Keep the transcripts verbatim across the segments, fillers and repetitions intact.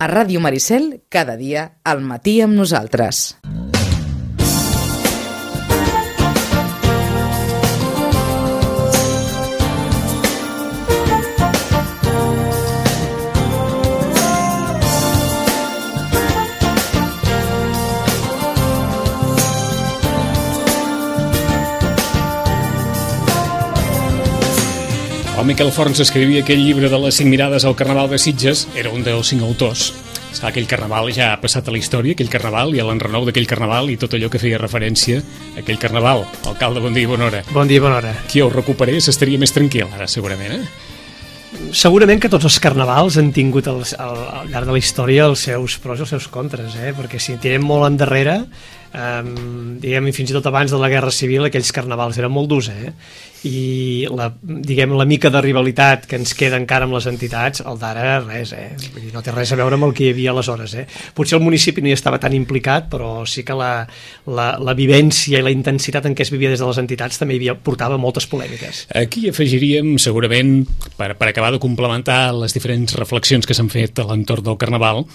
A Ràdio Maricel, cada dia, al matí amb nosaltres. El Miquel Forns escrivia aquell llibre de les cinc mirades al Carnaval de Sitges, era un dels cinc autors. Aquell carnaval ja ha passat a la història, aquell carnaval i l'enrenou d'aquell carnaval i tot allò que feia referència a aquell carnaval. Alcalde, bon dia i bona hora. Bon dia i bona hora. Qui ho recuperés estaria més tranquil ara, segurament, eh? Segurament que tots els carnavals han tingut al, al, al llarg de la història els seus pros i els seus contres, eh? Perquè si tirem molt endarrere, Um, diguem, fins i tot abans de la Guerra Civil aquells carnavals eren molt durs, eh? I la, diguem, la mica de rivalitat que ens queda encara amb les entitats, el d'ara res, eh? Vull dir, no té res a veure amb el que hi havia aleshores, eh? Potser el municipi no hi estava tan implicat, però sí que la, la, la vivència i la intensitat en què es vivia des de les entitats també hi havia, portava moltes polèmiques. Aquí afegiríem, segurament, per, per acabar de complementar les diferents reflexions que s'han fet a l'entorn del carnaval,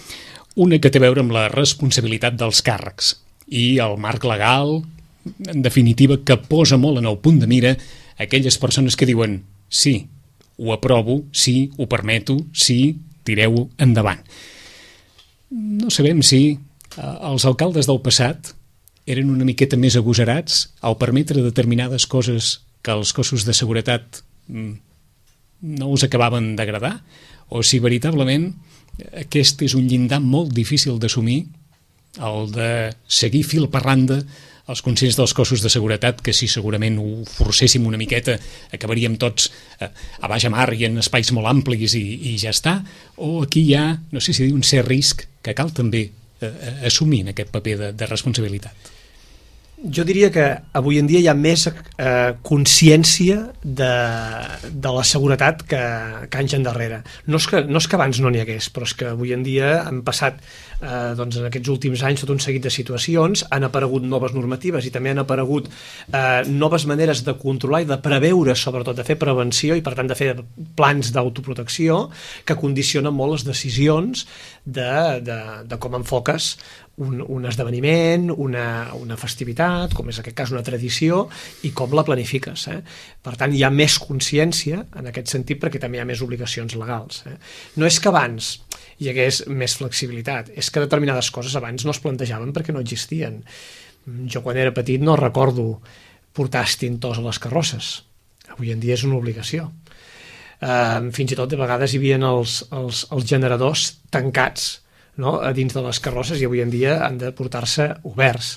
una que té a veure amb la responsabilitat dels càrrecs i el marc legal, en definitiva, que posa molt en el punt de mira aquelles persones que diuen sí, ho aprovo, sí, ho permeto, sí, tireu-ho endavant. No sabem si els alcaldes del passat eren una miqueta més agosarats al permetre determinades coses que els cossos de seguretat no us acabaven d'agradar, o si veritablement aquest és un llindar molt difícil d'assumir, el de seguir fil per randa els consells dels cossos de seguretat, que si segurament ho forcéssim una miqueta acabaríem tots a, a baix mar i en espais molt amplis i, i ja està, o aquí hi ha, no sé si dir, un cert risc que cal també eh, assumir en aquest paper de, de responsabilitat. Jo diria que avui en dia hi ha més eh, consciència de, de la seguretat que, que anys endarrere. No és, que, no és que abans no n'hi hagués, però és que avui en dia han passat, eh, doncs en aquests últims anys, tot un seguit de situacions, han aparegut noves normatives i també han aparegut eh, noves maneres de controlar i de preveure, sobretot de fer prevenció i per tant de fer plans d'autoprotecció que condicionen molt les decisions de, de, de com enfoques Un, un esdeveniment, una, una festivitat, com és en aquest cas una tradició, i com la planifiques. Eh? Per tant, hi ha més consciència en aquest sentit perquè també hi ha més obligacions legals. Eh? No és que abans hi hagués més flexibilitat, és que determinades coses abans no es plantejaven perquè no existien. Jo quan era petit no recordo portar estintors a les carrosses. Avui en dia és una obligació. Eh, fins i tot de vegades hi havia els, els, els generadors tancats, no? A dins de les carrosses, i avui en dia han de portar-se oberts.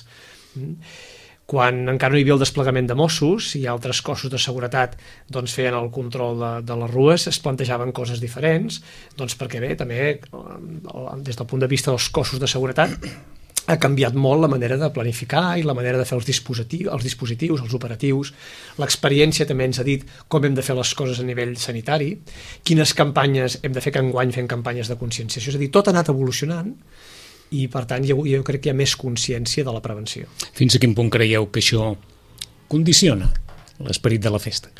Quan encara no hi havia el desplegament de Mossos i altres cossos de seguretat doncs, feien el control de, de les rues, es plantejaven coses diferents, doncs perquè bé, també des del punt de vista dels cossos de seguretat ha canviat molt la manera de planificar i la manera de fer els dispositius, els, dispositius, els operatius. L'experiència també ens ha dit com hem de fer les coses a nivell sanitari, quines campanyes hem de fer, que enguany fem campanyes de conscienciació. És a dir, tot ha anat evolucionant i, per tant, jo, jo crec que hi ha més consciència de la prevenció. Fins a quin punt creieu que això condiciona l'esperit de la festa?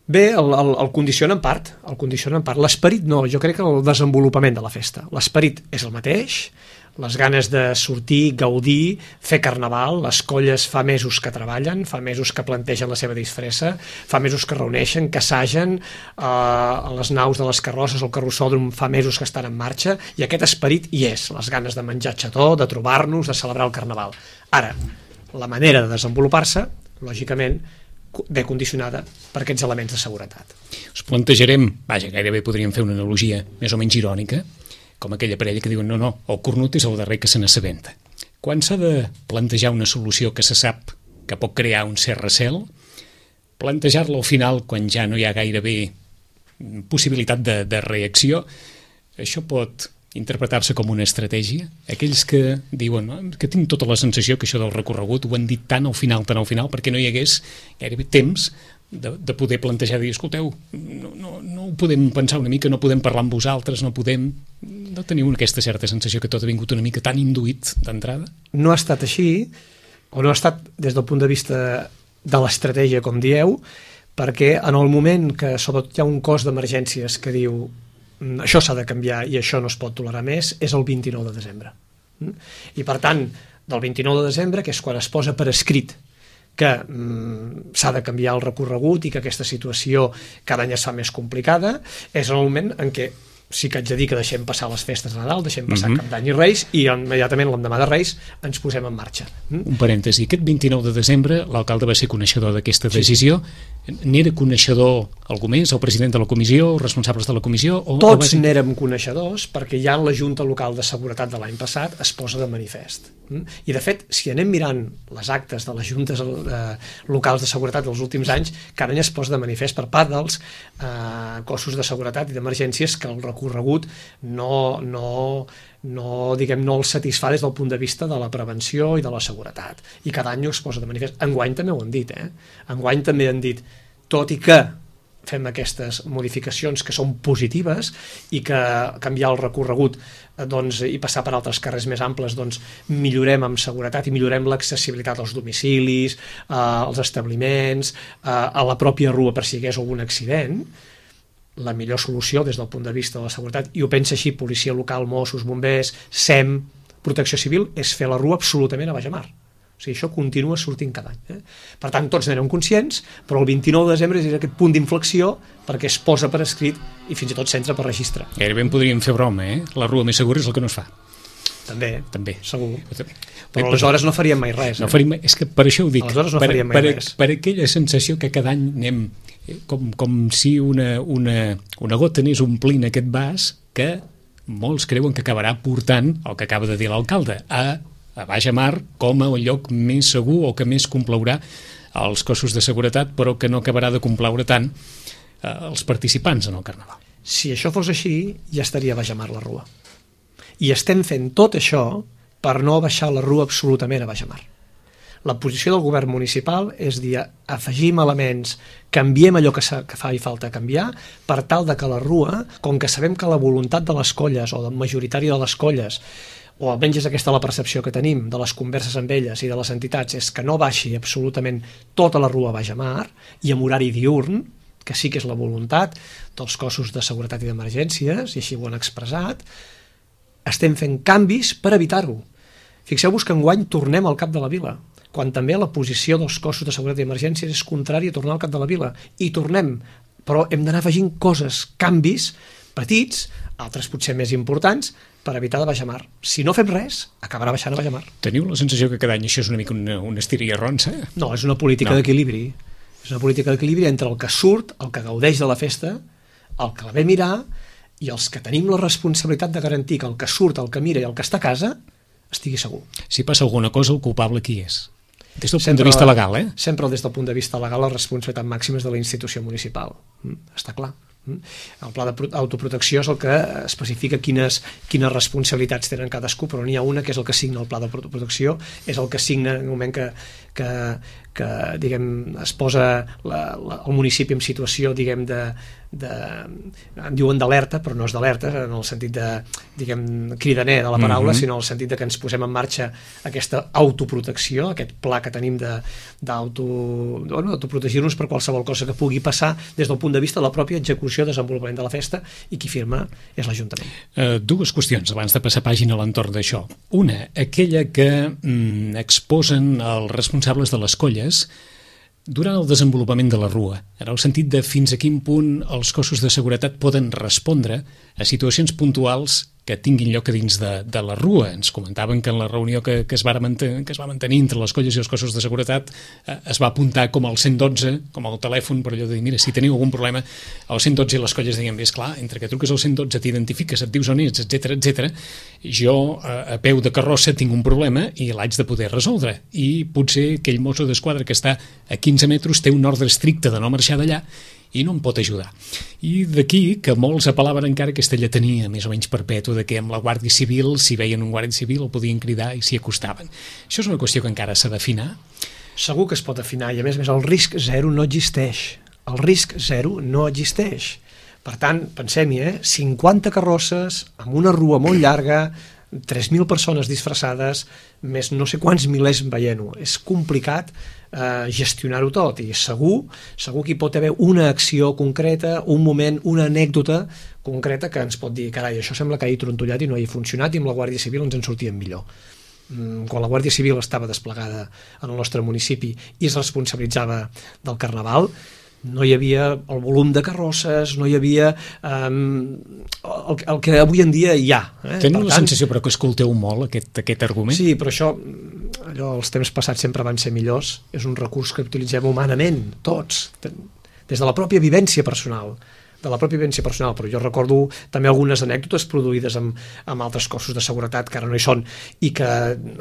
Bé, el, el, el condiciona en part, el condiciona en part. L'esperit no, jo crec que el desenvolupament de la festa. L'esperit és el mateix, les ganes de sortir, gaudir, fer carnaval, les colles fa mesos que treballen, fa mesos que plantegen la seva disfressa, fa mesos que reuneixen, que assagen, eh, a les naus de les carrosses, el carrossòdrom fa mesos que estan en marxa, i aquest esperit hi és, les ganes de menjar xató, de trobar-nos, de celebrar el carnaval. Ara, la manera de desenvolupar-se, lògicament, ve condicionada per aquests elements de seguretat. Us plantejarem, vaja, gairebé podríem fer una analogia més o menys irònica, com aquella parella que diuen no, no, el cornut és el darrer que se n'assabenta. Quan s'ha de plantejar una solució que se sap que pot crear un cert recel, plantejar-la al final quan ja no hi ha gairebé possibilitat de, de reacció, això pot interpretar-se com una estratègia. Aquells que diuen no, que tinc tota la sensació que això del recorregut ho han dit tan al final, tan al final, perquè no hi hagués gairebé temps de, de poder plantejar, dir, escolteu, no, no, no ho podem pensar una mica, no podem parlar amb vosaltres, no podem... No teniu aquesta certa sensació que tot ha vingut una mica tan induït d'entrada? No ha estat així, o no ha estat des del punt de vista de l'estratègia, com dieu, perquè en el moment que sobretot hi ha un cos d'emergències que diu això s'ha de canviar i això no es pot tolerar més, és el vint-i-nou de desembre. I per tant, del vint-i-nou de desembre, que és quan es posa per escrit que mm, s'ha de canviar el recorregut i que aquesta situació cada any es fa més complicada, és el moment en què sí que haig de dir que deixem passar les festes de Nadal, deixem passar mm-hmm. Cap d'Any i Reis, i immediatament l'endemà de Reis ens posem en marxa. Mm? Un parèntesi, aquest vint-i-nou de desembre l'alcalde va ser coneixedor d'aquesta decisió. Sí. N'era coneixedor algú més, el president de la comissió, els responsables de la comissió? O, Tots o n'érem coneixedors, perquè ja en la Junta Local de Seguretat de l'any passat es posa de manifest. Mm? I de fet, si anem mirant les actes de les juntes eh, locals de seguretat dels últims anys, cada any es posa de manifest per part dels eh, cossos de seguretat i d'emergències que el recorregut no, no, no, diguem, no el satisfà des del punt de vista de la prevenció i de la seguretat. I cada any es posa de manifest. Enguany també ho han dit, eh? Enguany també han dit, tot i que fem aquestes modificacions que són positives i que canviar el recorregut doncs, i passar per altres carrers més amples, doncs, millorem amb seguretat i millorem l'accessibilitat als domicilis, eh, als establiments, eh, a la pròpia rua per si hi hagués algun accident. La millor solució des del punt de vista de la seguretat, i ho pensa així policia local, Mossos, bombers, S E M, Protecció Civil, és fer la rua absolutament a baix mar. O sigui, això continua sortint cada any. Eh? Per tant, tots n'érem conscients, però el vint-i-nou de desembre és aquest punt d'inflexió perquè es posa per escrit i fins i tot s'entra per registre. Gairebé en podríem fer broma, eh? La rua més segura és el que no es fa. També, També. segur. També. Però aleshores no faríem mai res. No eh? faríem, és que per això ho dic. Aleshores no per, faríem mai per, res. Per aquella sensació que cada any anem com, com si una, una, una gota anés omplint aquest vas que molts creuen que acabarà portant el que acaba de dir l'alcalde, a a baix mar com a un lloc més segur o que més complaurà als cossos de seguretat, però que no acabarà de complaure tant eh, els participants en el Carnaval. Si això fos així, ja estaria a baix mar la rua. I estem fent tot això per no baixar la rua absolutament a baix mar. La posició del govern municipal és dir, afegim elements, canviem allò que, que fa i falta canviar, per tal de que la rua, com que sabem que la voluntat de les colles o del majoritari de les colles, o almenys és aquesta la percepció que tenim de les converses amb elles i de les entitats, és que no baixi absolutament tota la rua baix a mar i amb horari diürn, que sí que és la voluntat dels cossos de seguretat i d'emergències, i així ho han expressat, estem fent canvis per evitar-ho. Fixeu-vos que enguany tornem al cap de la vila, quan també la posició dels cossos de seguretat i emergències és contrària a tornar al cap de la vila. I tornem, però hem d'anar afegint coses, canvis petits, altres potser més importants, per evitar de baixar mar. Si no fem res, acabarà baixant a baix mar. Teniu la sensació que cada any això és una mica una, una estira i arronsa? No, és una política no. d'equilibri. És una política d'equilibri entre el que surt, el que gaudeix de la festa, el que la ve mirar, i els que tenim la responsabilitat de garantir que el que surt, el que mira i el que està a casa estigui segur. Si passa alguna cosa, el culpable qui és? Des del sempre, punt de vista legal, eh? Sempre des del punt de vista legal, la responsabilitat màxima és de la institució municipal. Mm, està clar. El pla d'autoprotecció és el que especifica quines, quines responsabilitats tenen cadascú, però n'hi ha una que és el que signa el pla de protecció, és el que signa en el moment que, que, que diguem, es posa la, la, el municipi en situació, diguem, de, de, en diuen d'alerta, però no és d'alerta en el sentit de, diguem, cridaner de la paraula, mm-hmm. sinó en el sentit de que ens posem en marxa aquesta autoprotecció, aquest pla que tenim d'autoprotegir-nos bueno, per qualsevol cosa que pugui passar des del punt de vista de la pròpia execució, desenvolupament de la festa, i qui firma és l'Ajuntament. Uh, dues qüestions abans de passar pàgina a l'entorn d'això. Una, aquella que mm, exposen els responsables de les colles durant el desenvolupament de la rua, en el sentit de fins a quin punt els cossos de seguretat poden respondre a situacions puntuals que tinguin lloc a dins de, de la rua. Ens comentaven que en la reunió que, que, es va mantenir, que es va mantenir entre les colles i els cossos de seguretat eh, es va apuntar com el cent dotze, com el telèfon, per allò de dir, mira, si teniu algun problema, el cent dotze i les colles deien, bé, esclar, entre que truques al cent dotze, t'identifiques, et dius on ets, etcètera, etcètera, jo eh, a peu de carrossa tinc un problema i l'haig de poder resoldre. I potser aquell mosso d'esquadra que està a quinze metres té un ordre estricte de no marxar d'allà i no em pot ajudar. I d'aquí que molts apel·laven encara aquesta lletania més o menys perpètua de que amb la Guàrdia Civil, si veien un guàrdia civil, el podien cridar i s'hi acostaven. Això és una qüestió que encara s'ha d'afinar? Segur que es pot afinar, i a més a més el risc zero no existeix. El risc zero no existeix. Per tant, pensem-hi, eh? cinquanta carrosses, amb una rua molt llarga, tres mil persones disfressades, més no sé quants milers veient-ho. És complicat eh, gestionar-ho tot, i segur, segur que hi pot haver una acció concreta, un moment, una anècdota concreta que ens pot dir, carai, això sembla que hagi trontollat i no hagi funcionat, i amb la Guàrdia Civil ens en sortíem millor. Quan la Guàrdia Civil estava desplegada en el nostre municipi i es responsabilitzava del Carnaval, no hi havia el volum de carrosses, no hi havia um, el, el que avui en dia hi ha. Eh? Teniu Per la tant, sensació però que escolteu molt aquest, aquest argument? Sí, però això, allò, els temps passats sempre van ser millors, és un recurs que utilitzem humanament, tots, des de la pròpia vivència personal, de la pròpia vivència personal, però jo recordo també algunes anècdotes produïdes amb, amb altres cossos de seguretat que ara no hi són i que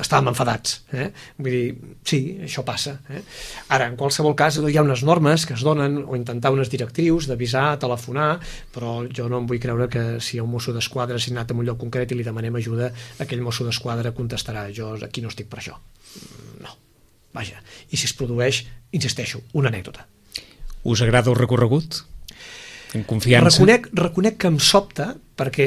estàvem enfadats. Eh? Vull dir, sí, això passa. Eh? Ara, en qualsevol cas, hi ha unes normes que es donen o intentar unes directrius d'avisar, telefonar, però jo no em vull creure que si hi ha un mosso d'esquadra assignat en un lloc concret i li demanem ajuda, aquell mosso d'esquadra contestarà, jo aquí no estic per això. No, vaja. I si es produeix, insisteixo, una anècdota. Us agrada el recorregut? En confiança? Reconec, reconec que em sobta, perquè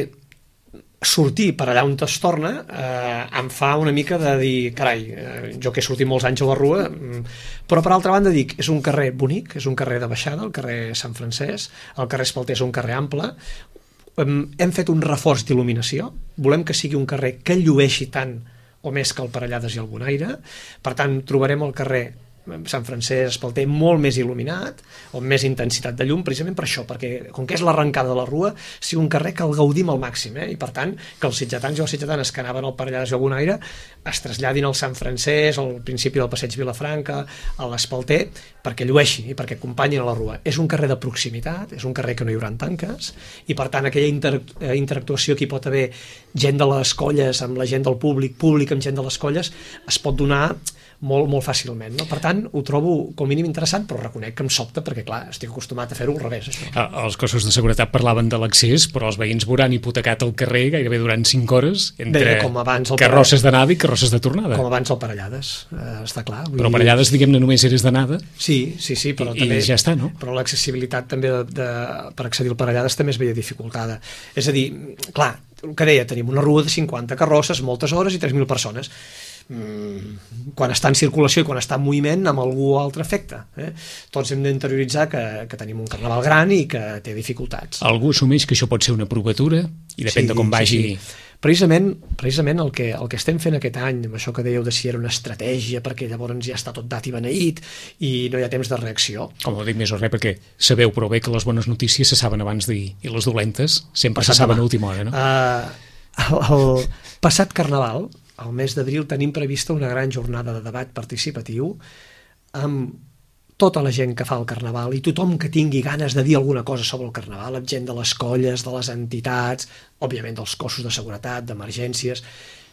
sortir per allà on es torna eh, em fa una mica de dir, carai, eh, jo que he sortit molts anys a la Rua, però per altra banda dic, és un carrer bonic, és un carrer de baixada, el carrer Sant Francesc, el carrer Espalter és un carrer ample, hem fet un reforç d'il·luminació, volem que sigui un carrer que llueixi tant o més que el Parellades i el Bonaire, per tant trobarem el carrer Sant Francesc, Espalter, molt més il·luminat, o amb més intensitat de llum, precisament per això, perquè com que és l'arrencada de la Rua, sigui un carrer que el gaudim al màxim, eh? I per tant, que els sitgetans i les sitgetanes que anaven al Parellades i al Bonaire es traslladin al Sant Francesc, al principi del passeig Vilafranca, a l'Espalter, perquè llueixi i perquè acompanyin a la Rua. És un carrer de proximitat, és un carrer que no hi haurà tanques, i per tant aquella inter interactuació que hi pot haver gent de les colles amb la gent del públic, públic amb gent de les colles, es pot donar molt, molt fàcilment, no? Per tant, ho trobo com a mínim interessant, però reconec que em sobta perquè, clar, estic acostumat a fer-ho al revés, això. Els cossos de seguretat parlaven de l'accés, però els veïns veuran hipotecat el carrer gairebé durant cinc hores entre Bé, com abans el carrosses d'anada i carrosses de tornada. Com abans el Parellades, eh, està clar. Vull però dir... Parellades, diguem-ne, només eres d'anada. Sí, sí, sí, però i, també... I ja està, no? Però l'accessibilitat també de, de, per accedir al Parellades també es veia dificultada. És a dir, clar, el que deia, tenim una Rua de cinquanta carrosses, moltes hores i tres mil persones. Mm, quan està en circulació i quan està en moviment amb algú altre efecte, eh? Tots hem d'interioritzar que, que tenim un carnaval gran i que té dificultats. Algú assumeix que això pot ser una provatura i depèn sí, de com vagi... Sí, sí. Precisament, precisament el, que, el que estem fent aquest any, amb això que dèieu de si era una estratègia perquè llavors ja està tot dat i beneït i no hi ha temps de reacció. Com ho dic més o res, perquè sabeu prou bé que les bones notícies se saben abans d'ahir i les dolentes sempre passat se saben a última hora, no? Uh, el, el passat Carnaval, al mes d'abril, tenim prevista una gran jornada de debat participatiu amb tota la gent que fa el Carnaval i tothom que tingui ganes de dir alguna cosa sobre el Carnaval, amb gent de les colles, de les entitats, òbviament dels cossos de seguretat, d'emergències,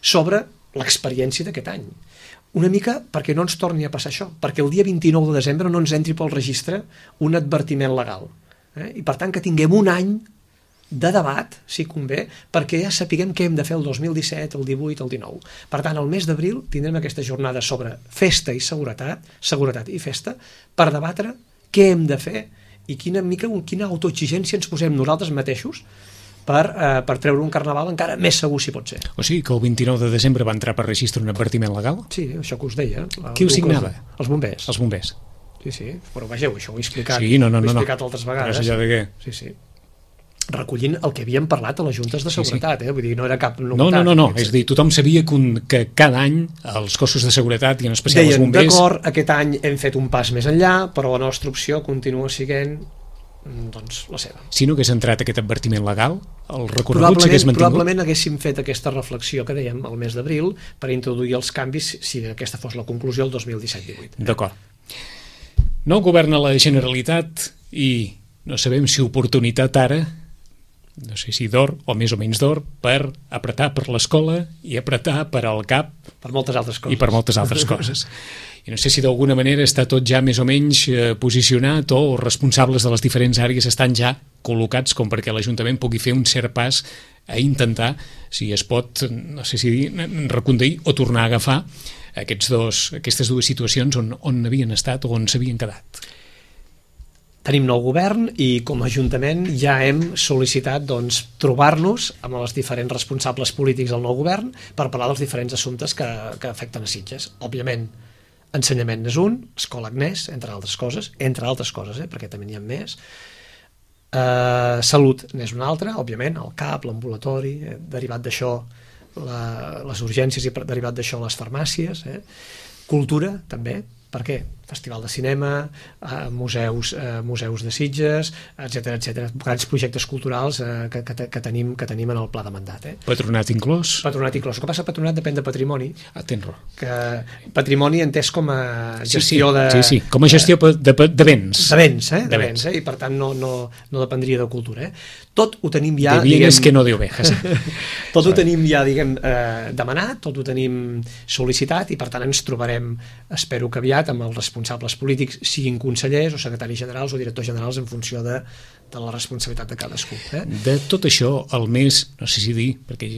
sobre l'experiència d'aquest any. Una mica perquè no ens torni a passar això, perquè el dia vint-i-nou de desembre no ens entri pel registre un advertiment legal. Eh? I per tant que tinguem un any de debat, si convé, perquè ja sapiguem què hem de fer el dos mil disset, el divuit, el dinou. Per tant, al mes d'abril tindrem aquesta jornada sobre festa i seguretat, seguretat i festa, per debatre què hem de fer i quina mica, quina autoexigència ens posem nosaltres mateixos per, eh, per treure un carnaval encara més segur si pot ser. O sigui que el vint-i-nou de desembre va entrar per registre un advertiment legal? Sí, això que us deia. Qui ho signava? Els bombers. Els bombers. Sí, sí, però vegeu, això ho he explicat, sí, no, no, ho he no, explicat no. altres vegades. Però és allò de què? Sí, sí. Recollint el que havíem parlat a les juntes de seguretat, sí, sí. Eh? Vull dir, no era cap novetat. No, no, no, no. És a dir, tothom sabia que, un, que cada any els cossos de seguretat i en especial deien, els bombers... d'acord, aquest any hem fet un pas més enllà, però la nostra opció continua sent doncs, la seva. Si no hagués entrat aquest advertiment legal, el recorregut s'hagués mantingut? Probablement haguéssim fet aquesta reflexió que dèiem al mes d'abril per introduir els canvis si aquesta fos la conclusió el dos mil disset divuit. D'acord. No governa la Generalitat i no sabem si oportunitat ara, no sé si d'or o més o menys d'or, per apretar per l'escola i apretar per al cap per moltes altres coses. i per moltes altres coses. I no sé si d'alguna manera està tot ja més o menys eh, posicionat o els responsables de les diferents àrees estan ja col·locats com perquè l'Ajuntament pugui fer un cert pas a intentar, si es pot, no sé si dir, reconduir o tornar a agafar aquests dos, aquestes dues situacions on, on havien estat o on s'havien quedat. tenim nou govern i com a Ajuntament ja hem sol·licitat doncs, trobar-nos amb els diferents responsables polítics del nou govern per parlar dels diferents assumptes que, que afecten a Sitges. Òbviament, ensenyament és un, Escola Agnès, entre altres coses, entre altres coses, eh, perquè també n'hi ha més. Uh, salut n'és una altra, òbviament, el C A P, l'ambulatori, eh, derivat d'això la, les urgències i derivat d'això les farmàcies, eh. Cultura, també. Per què? Festival de cinema, eh, museus, eh, museus de Sitges, etcètera, etcètera. Grans projectes culturals eh, que, que, que, tenim, que tenim en el pla de mandat. Eh? Patronat inclòs? Patronat inclòs. El que passa, patronat depèn de patrimoni. Ah, tens raó. Que patrimoni entès com a gestió sí, sí. de... Sí, sí, com a gestió de, de, de béns. De béns, eh? De, de béns, eh? I per tant no, no, no dependria de cultura. Eh? Tot ho tenim ja... De bienes que no de ovejas. Tot ho tenim ja, diguem, eh, demanat, tot ho tenim sol·licitat i per tant ens trobarem, espero que aviat, amb els responsables polítics, siguin consellers o secretaris generals o directors generals en funció de, de la responsabilitat de cadascú. Eh? De tot això, el més, no sé si dir, perquè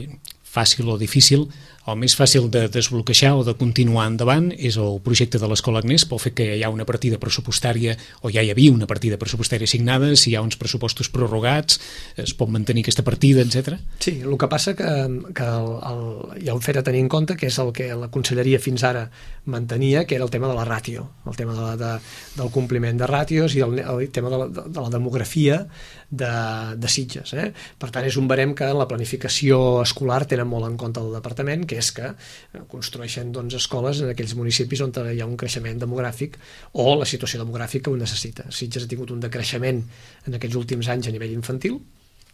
fàcil o difícil, el més fàcil de desbloquejar o de continuar endavant és el projecte de l'Escola Agnès, pel fet que hi ha una partida pressupostària, o ja hi havia una partida pressupostària assignada, si hi ha uns pressupostos prorrogats, es pot mantenir aquesta partida, etcètera. Sí, el que passa que, que el, el, hi ha un fet a tenir en compte, que és el que la conselleria fins ara mantenia, que era el tema de la ràtio, el tema de la, de, del compliment de ràtios i el, el tema de la, de, de la demografia de, de Sitges. Eh? Per tant, és un barem que en la planificació escolar tenen molt en compte el departament, que és que construeixen doncs, escoles en aquells municipis on hi ha un creixement demogràfic o la situació demogràfica ho necessita. Sitges ha tingut un decreixement en aquests últims anys a nivell infantil,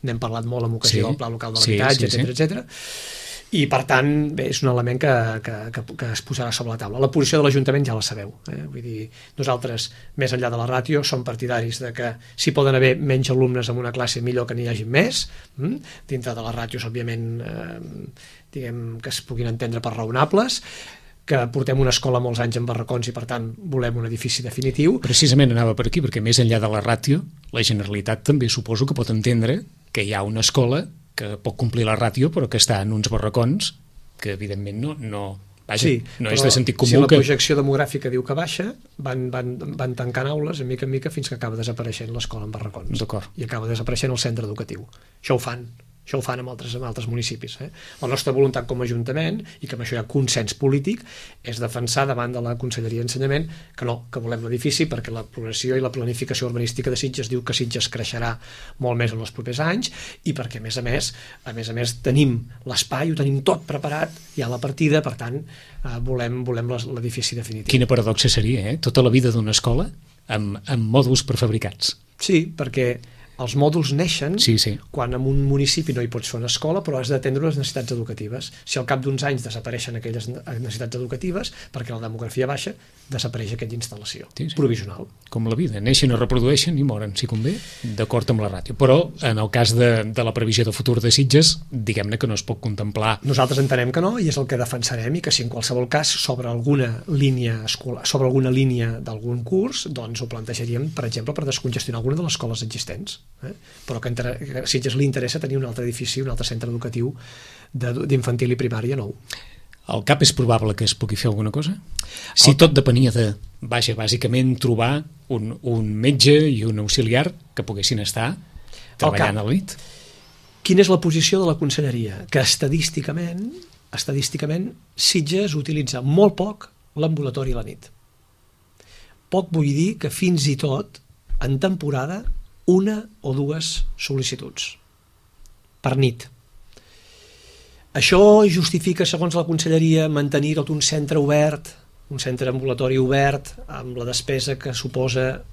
n'hem parlat molt en ocasió sí, del Pla Local de l'Habitatge, sí, sí, etcètera, sí. etcètera. I per tant, bé, és un element que, que, que, que es posarà sobre la taula. La posició de l'Ajuntament ja la sabeu. Eh? Vull dir, nosaltres, més enllà de la ràtio, som partidaris de que si poden haver menys alumnes en una classe, millor que n'hi hagi més. Mm? Dintre de les ràtios, òbviament, eh, diguem que es puguin entendre per raonables, que portem una escola molts anys en barracons i per tant volem un edifici definitiu. Precisament anava per aquí, perquè més enllà de la ràtio, la Generalitat també suposo que pot entendre que hi ha una escola que pot complir la ràtio però que està en uns barracons que evidentment no, no, vaja, sí, no és de sentit comú. Si la que... projecció demogràfica diu que baixa, van, van, van tancant aules de mica en mica fins que acaba desapareixent l'escola en barracons i acaba desapareixent el centre educatiu. Això ho fan. Això ho fan en altres, en altres municipis. Eh? La nostra voluntat com a Ajuntament, i que amb això hi ha consens polític, és defensar davant de la Conselleria d'Ensenyament que no, que volem l'edifici perquè la progressió i la planificació urbanística de Sitges diu que Sitges creixerà molt més en els propers anys i perquè, a més a més, a més a més tenim l'espai, ho tenim tot preparat, hi ha la partida, per tant, eh, volem, volem l'edifici definitiu. Quina paradoxa seria, eh? Tota la vida d'una escola amb, amb mòduls prefabricats. Sí, perquè els mòduls neixen sí, sí. quan en un municipi no hi pots fer una escola però has d'atendre les necessitats educatives. Si al cap d'uns anys desapareixen aquelles necessitats educatives perquè la demografia baixa, desapareix aquella instal·lació sí, sí. provisional. Com la vida, neixen o reprodueixen i moren, si convé, d'acord amb la ràtio. Però en el cas de, de la previsió de futur de Sitges, diguem-ne que no es pot contemplar. Nosaltres entenem que no i és el que defensarem i que si en qualsevol cas sobre alguna línia escolar, sobre alguna línia d'algun curs, doncs ho plantejaríem, per exemple, per descongestionar alguna de les escoles existents. Eh? Però que, entre, que a Sitges li interessa tenir un altre edifici, un altre centre educatiu d'infantil i primària nou. Al cap és probable que es pugui fer alguna cosa? Si tot depenia de, vaja, bàsicament trobar un, un metge i un auxiliar que poguessin estar treballant a la nit. Quina és la posició de la conselleria? Que estadísticament, estadísticament Sitges utilitza molt poc l'ambulatori a la nit. Poc vull dir que fins i tot en temporada una o dues sol·licituds per nit. Això justifica, segons la conselleria, mantenir tot un centre obert, un centre ambulatori obert, amb la despesa que suposa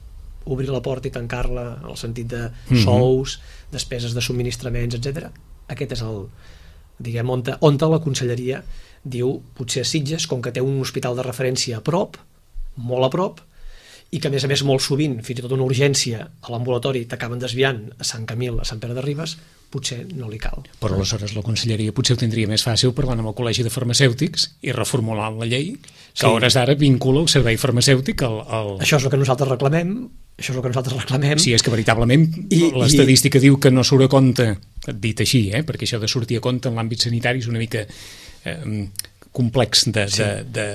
obrir la porta i tancar-la, en el sentit de sous, mm-hmm. despeses de subministraments, etcètera. Aquest és el, diguem, on, on la conselleria diu, potser a Sitges, com que té un hospital de referència a prop, molt a prop, i que a més a més molt sovint, fins i tot una urgència a l'ambulatori t'acaben desviant a Sant Camil, a Sant Pere de Ribes, potser no li cal. Però aleshores la conselleria potser ho tindria més fàcil parlant amb el Col·legi de Farmacèutics i reformulant la llei que a hores d'ara vincula el servei farmacèutic al, al... Això és el que nosaltres reclamem, això és el que nosaltres reclamem. Sí, és que veritablement I, l'estadística i... diu que no surt a compte, dit així, eh? Perquè això de sortir a compte en l'àmbit sanitari és una mica eh, complex de, sí. de, de,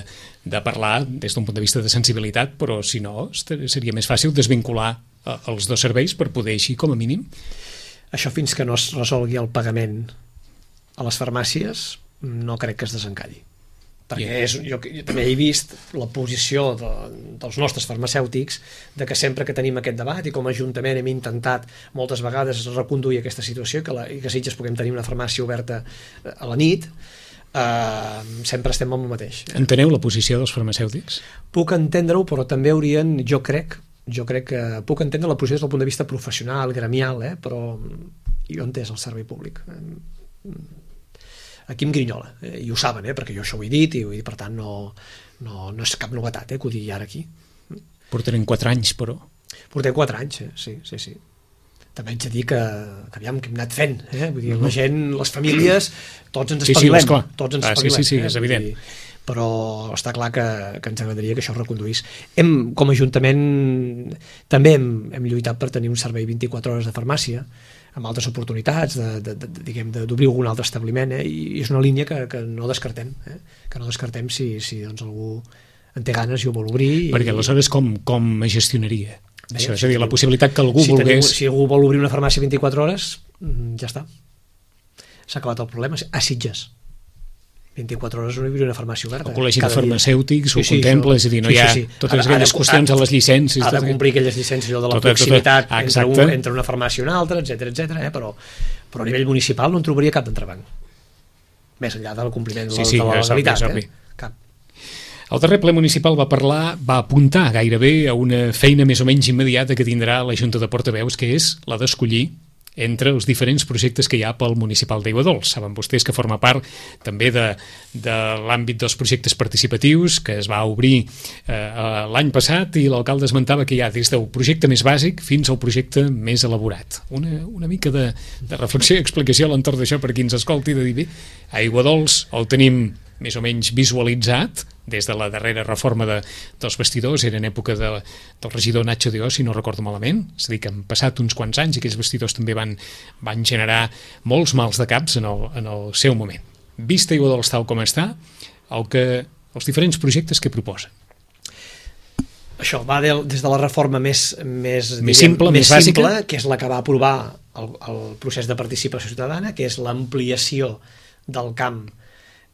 de parlar des d'un punt de vista de sensibilitat, però si no seria més fàcil desvincular eh, els dos serveis per poder així, com a mínim? Això fins que no es resolgui el pagament a les farmàcies no crec que es desencalli. Perquè és, jo, jo també he vist la posició de, dels nostres farmacèutics de que sempre que tenim aquest debat i com a Ajuntament hem intentat moltes vegades reconduir aquesta situació que la, i que Sitges puguem tenir una farmàcia oberta a la nit, eh, sempre estem amb el mateix. Enteneu la posició dels farmacèutics? Puc entendre-ho, però també haurien, jo crec, jo crec que puc entendre la posició des del punt de vista professional, gremial, eh, però jo he entès el servei públic. Aquí em grinyola, eh, i ho saben, eh, perquè jo això ho he dit i, i per tant no, no, no és cap novetat eh, que ho digui ara aquí. Portarem quatre anys, però. Portem quatre anys, eh? sí, sí, sí. També haig de dir que, que aviam, que hem anat fent, eh? Vull dir, uh -huh. la gent, les famílies, tots ens espavilem. Sí, sí, tots ens ah, espavilem. Sí, sí, sí, eh? és evident. Dir, però està clar que, que ens agradaria que això es reconduís. Hem, com a Ajuntament, també hem, hem lluitat per tenir un servei vint-i-quatre hores de farmàcia, amb altres oportunitats de, de, de, diguem, d'obrir algun altre establiment, eh? I és una línia que, que no descartem, eh? que no descartem si, si doncs, algú en té ganes i ho vol obrir. Perquè i... aleshores com, com es gestionaria? Bé, això, és a dir, la possibilitat que algú si volgués... Tenim, si algú vol obrir una farmàcia vint-i-quatre hores, ja està. S'ha acabat el problema. A Sitges. vint-i-quatre hores no hi hauria una farmàcia oberta. El col·legi de farmacèutics ho sí, sí, contempla, això, és a dir, no sí, hi ha sí, sí. totes Ha- aquelles ha de- qüestions a les llicències. Ha de tot- complir aquelles llicències allò de la Tot, tot, proximitat tot. entre, un, Exacte. entre una farmàcia i una altra, etcètera, etcètera, eh? però, però a nivell municipal no en trobaria cap d'entrebanc. Més enllà del compliment de la, Sí, sí, de la és obvi, legalitat. és obvi. Eh? Cap. El darrer ple municipal va parlar, va apuntar gairebé a una feina més o menys immediata que tindrà la Junta de Portaveus, que és la d'escollir entre els diferents projectes que hi ha pel municipal d'Aiguadols. Saben vostès que forma part també de, de l'àmbit dels projectes participatius que es va obrir eh, l'any passat i l'alcalde esmentava que hi ha des del projecte més bàsic fins al projecte més elaborat. Una, una mica de, de reflexió i explicació a l'entorn d'això per qui ens escolti, de dir, bé, a Aiguadols el tenim més o menys visualitzat des de la darrera reforma de, dels vestidors, era en època de, del regidor Nacho Dió, si no recordo malament, és a dir que han passat uns quants anys i aquells vestidors també van, van generar molts mals de caps en el, en el seu moment. Vista Aiguadols tal com està, el que, els diferents projectes que proposen. Això va de, des de la reforma més, més, Més diguem, simple, més més bàsica. simple, que és la que va aprovar el, el procés de participació ciutadana, que és l'ampliació del camp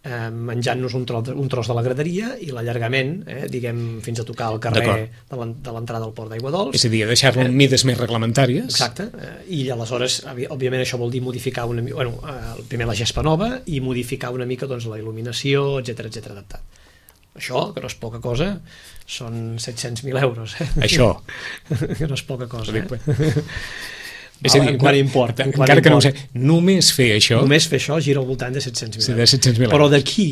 eh, menjant-nos un, tros, un tros de la graderia i l'allargament, eh, diguem, fins a tocar el carrer de l'entrada al port d'Aiguadols. És a dir, deixar-lo en mides més reglamentàries. Exacte, eh, i aleshores, òbviament, això vol dir modificar una mica, bueno, eh, primer la gespa nova i modificar una mica doncs, la il·luminació, etcètera, etcètera, adaptat. Això, que no és poca cosa, són set-cents mil euros. Eh? Això. Que no és poca cosa, eh? És a dir, en quant importa, en quant encara que no ho import. sé, només fer això... Només fer això gira al voltant de set-cents mil Sí, de euros. set-cents mil Però euros. d'aquí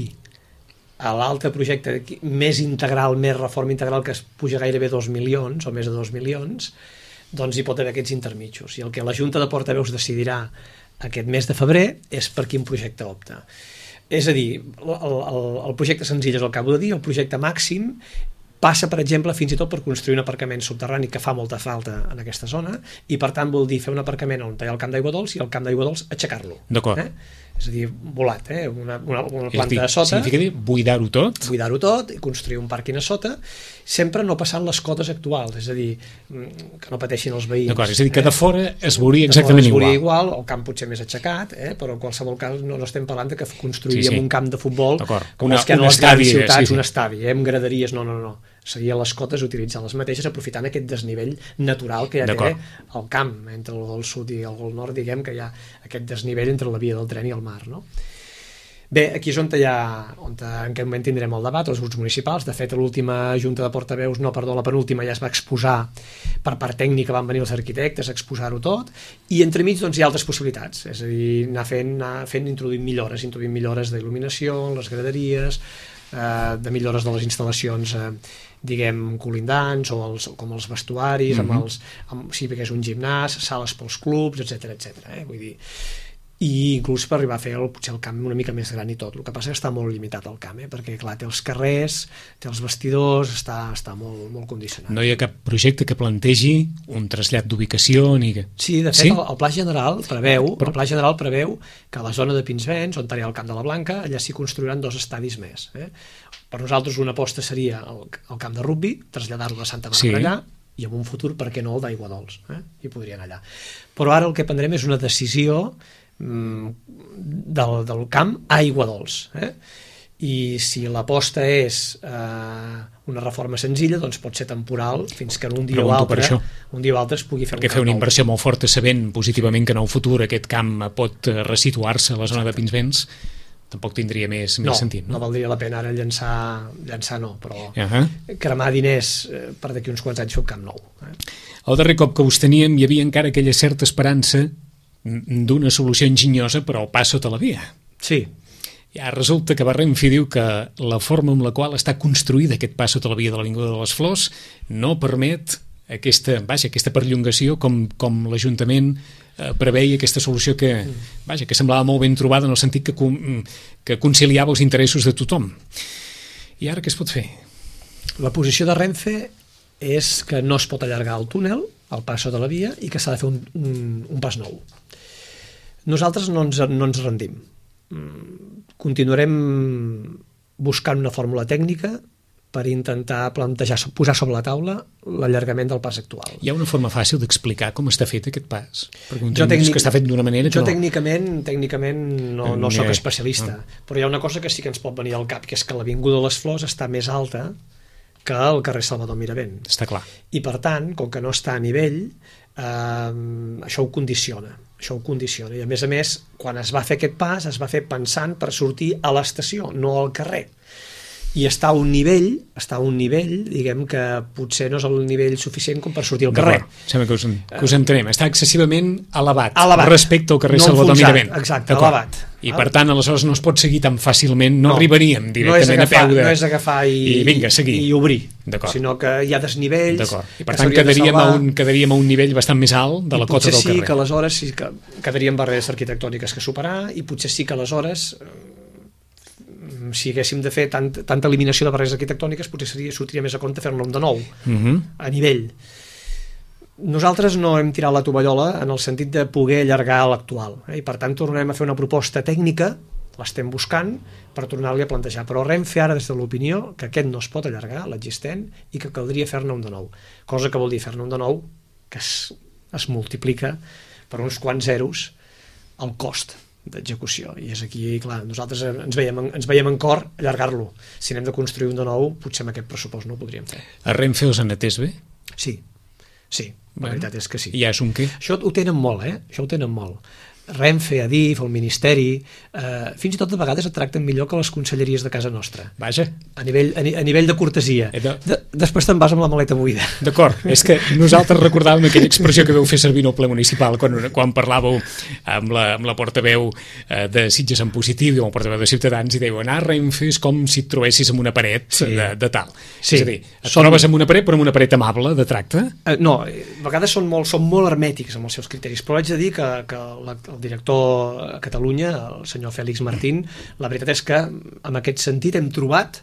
a l'altre projecte d'aquí, més integral, més reforma integral, que es puja gairebé dos milions, o més de dos milions, doncs hi pot haver aquests intermitjos. I el que la Junta de Portaveus decidirà aquest mes de febrer és per quin projecte opta. És a dir, el, el, el projecte senzill és el que acabo de dir, el projecte màxim passa, per exemple, fins i tot per construir un aparcament subterrani que fa molta falta en aquesta zona i, per tant, vol dir fer un aparcament on hi ha el camp d'Aiguadols i el camp d'Aiguadols aixecar-lo. D'acord. Eh? És a dir, volat, eh? una, una, una És a planta dir, a sota, significa dir buidar-ho tot? buidar-ho tot i construir un pàrquing a sota, sempre no passant les cotes actuals, és a dir, que no pateixin els veïns. D'acord, és a dir, que de fora es veuria De fora exactament es veuria igual. igual, el camp potser més aixecat, eh? però en qualsevol cas no, no estem parlant de que construiríem Sí, sí. un camp de futbol D'acord. com Una- els que hi ha un a les grans estadi, ciutats, sí, sí. un estadi, eh? amb graderies, no, no, no. Seria les cotes utilitzar les mateixes aprofitant aquest desnivell natural que ja té D'acord. el camp, entre el gol sud i el gol nord, diguem que hi ha aquest desnivell entre la via del tren i el mar, no? Bé, aquí és on hi ha, on en aquest moment tindrem el debat, els grups municipals. De fet, a l'última Junta de Portaveus, no, perdó, la penúltima ja es va exposar per part tècnica, van venir els arquitectes a exposar-ho tot, i entremig doncs, hi ha altres possibilitats, és a dir, anar fent, anar fent introduint millores, introduint millores d'il·luminació, les graderies, eh, de millores de les instal·lacions, eh, diguem, colindants, o els, com els vestuaris, mm-hmm. amb els, amb, sí, perquè és un gimnàs, sales pels clubs, etcètera, etcètera. Eh? Vull dir, i inclús per arribar a fer el, potser el camp una mica més gran i tot. El que passa és que està molt limitat el camp, eh? perquè clar, té els carrers, té els vestidors, està, està molt, molt condicionat. No hi ha cap projecte que plantegi un trasllat d'ubicació ni que... Sí, de fet, sí? El, el Pla General preveu el Pla General preveu que a la zona de Pinsbens, on hi ha el Camp de la Blanca, allà s'hi construiran dos estadis més. Eh? Per nosaltres una aposta seria el, el camp de rugby, traslladar-lo a Santa Bàrbara Sí. allà, i en un futur, per què no, el d'aigua dolç, eh? I podria anar allà. Però ara el que prendrem és una decisió mm, del, del camp a aigua dolç, eh? I si l'aposta és eh, una reforma senzilla, doncs pot ser temporal fins que en un dia Pregunto o altre un dia o altre es pugui fer perquè un fer una camp inversió molt forta sabent positivament que en el futur aquest camp pot resituar-se a la zona de Pinsbens, tampoc tindria més, no, més sentit, no? No valdria la pena ara llançar, llançar no, però uh -huh. cremar diners eh, per d'aquí uns quants anys fer un camp nou. Eh? El darrer cop que us teníem hi havia encara aquella certa esperança d'una solució enginyosa per al pas sota la via. Sí. Ja resulta que Renfe diu que la forma amb la qual està construïda aquest pas sota la via de l'Avinguda de les Flors no permet aquesta, vaja, aquesta perllongació com, com l'Ajuntament eh, preveia, aquesta solució que, vaja, que semblava molt ben trobada en el sentit que, que conciliava els interessos de tothom. I ara què es pot fer? La posició de Renfe és que no es pot allargar el túnel, el pas sota la via, i que s'ha de fer un, un, un pas nou. Nosaltres no ens, no ens rendim. Continuarem buscant una fórmula tècnica per intentar plantejar, posar sobre la taula l'allargament del pas actual. Hi ha una forma fàcil d'explicar com està fet aquest pas? Perquè jo tècnic, que està fet d'una manera jo que no. tècnicament, tècnicament no, no sóc especialista, ah. però hi ha una cosa que sí que ens pot venir al cap, que és que l'Avinguda de les Flors està més alta que el carrer Salvador Miravent. Està clar. I per tant, com que no està a nivell, eh, això ho condiciona. Això ho condiciona. I a més a més, quan es va fer aquest pas, es va fer pensant per sortir a l'estació, no al carrer. I està a un nivell, està a un nivell, diguem que potser no és el nivell suficient com per sortir al carrer. Sembla que us, que us entenem. Està excessivament elevat, elevat. respecte al carrer no Salvador Miravent. Exacte, elevat. I per tant, aleshores no es pot seguir tan fàcilment, no, no arribaríem directament no agafar, a peu de... No és agafar i, i, vinga, i obrir, sinó que hi ha desnivells... I per tant quedaríem a, un, quedaríem a un nivell bastant més alt de la cota del sí carrer. Que aleshores sí que quedaríem barreres arquitectòniques que superar i potser sí que aleshores... si haguéssim de fer tant, tanta eliminació de barreres arquitectòniques potser seria, sortiria més a compte fer-ne un de nou uh -huh. a nivell. Nosaltres no hem tirat la tovallola en el sentit de poder allargar l'actual, eh? I per tant tornarem a fer una proposta tècnica, l'estem buscant per tornar-li a plantejar, però Renfe ara des de l'opinió que aquest no es pot allargar, l'existent, i que caldria fer-ne un de nou, cosa que vol dir fer-ne un de nou que es, es multiplica per uns quants zeros el cost d'execució, i és aquí, clar, nosaltres ens veiem, ens veiem en cor allargar-lo. Si anem de construir un de nou, potser amb aquest pressupost no ho podríem fer. A Renfe us han atès bé? Sí, sí, la veritat és que sí. I ja és un què? Això ho tenen molt, eh? Això ho tenen molt. Renfe, Adif, el Ministeri, eh, fins i tot de vegades et tracten millor que les conselleries de casa nostra. Vaja. A nivell, a, a nivell de cortesia. De... De, després te'n vas amb la maleta buida. D'acord, és que nosaltres recordàvem aquella expressió que veu fer servir en el ple municipal quan, quan parlàveu amb la, amb la portaveu eh, de Sitges en positiu i amb el portaveu de Ciutadans i dèieu anar a Renfe és com si et trobessis amb una paret sí. de, de tal. Sí. És a dir, et Són... trobes amb una paret però amb una paret amable de tracte? Eh, no, a vegades són molt, són molt hermètics amb els seus criteris, però haig de dir que, que la, el director a Catalunya, el senyor Fèlix Martín, la veritat és que en aquest sentit hem trobat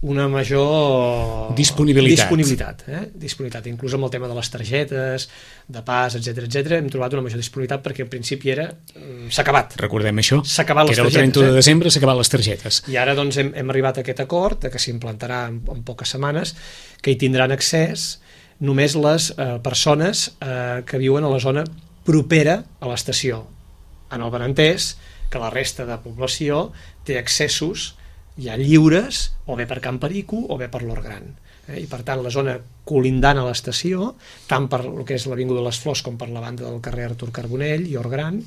una major disponibilitat, disponibilitat, eh? disponibilitat. Inclús amb el tema de les targetes de pas, etcètera, etcètera, hem trobat una major disponibilitat perquè al principi era s'ha acabat. Recordem això, s'ha acabat que les era el targetes, trenta-u de eh? desembre s'ha acabat les targetes. I ara doncs hem, hem arribat a aquest acord de que s'implantarà en, en poques setmanes, que hi tindran accés només les eh, persones eh, que viuen a la zona propera a l'estació, en el benentès que la resta de població té accessos ja lliures, o bé per Can Perico o bé per l'Hort Gran. Eh? I per tant la zona colindant a l'estació, tant per el que és l'Avinguda de les Flors com per la banda del carrer Artur Carbonell i Hort Gran,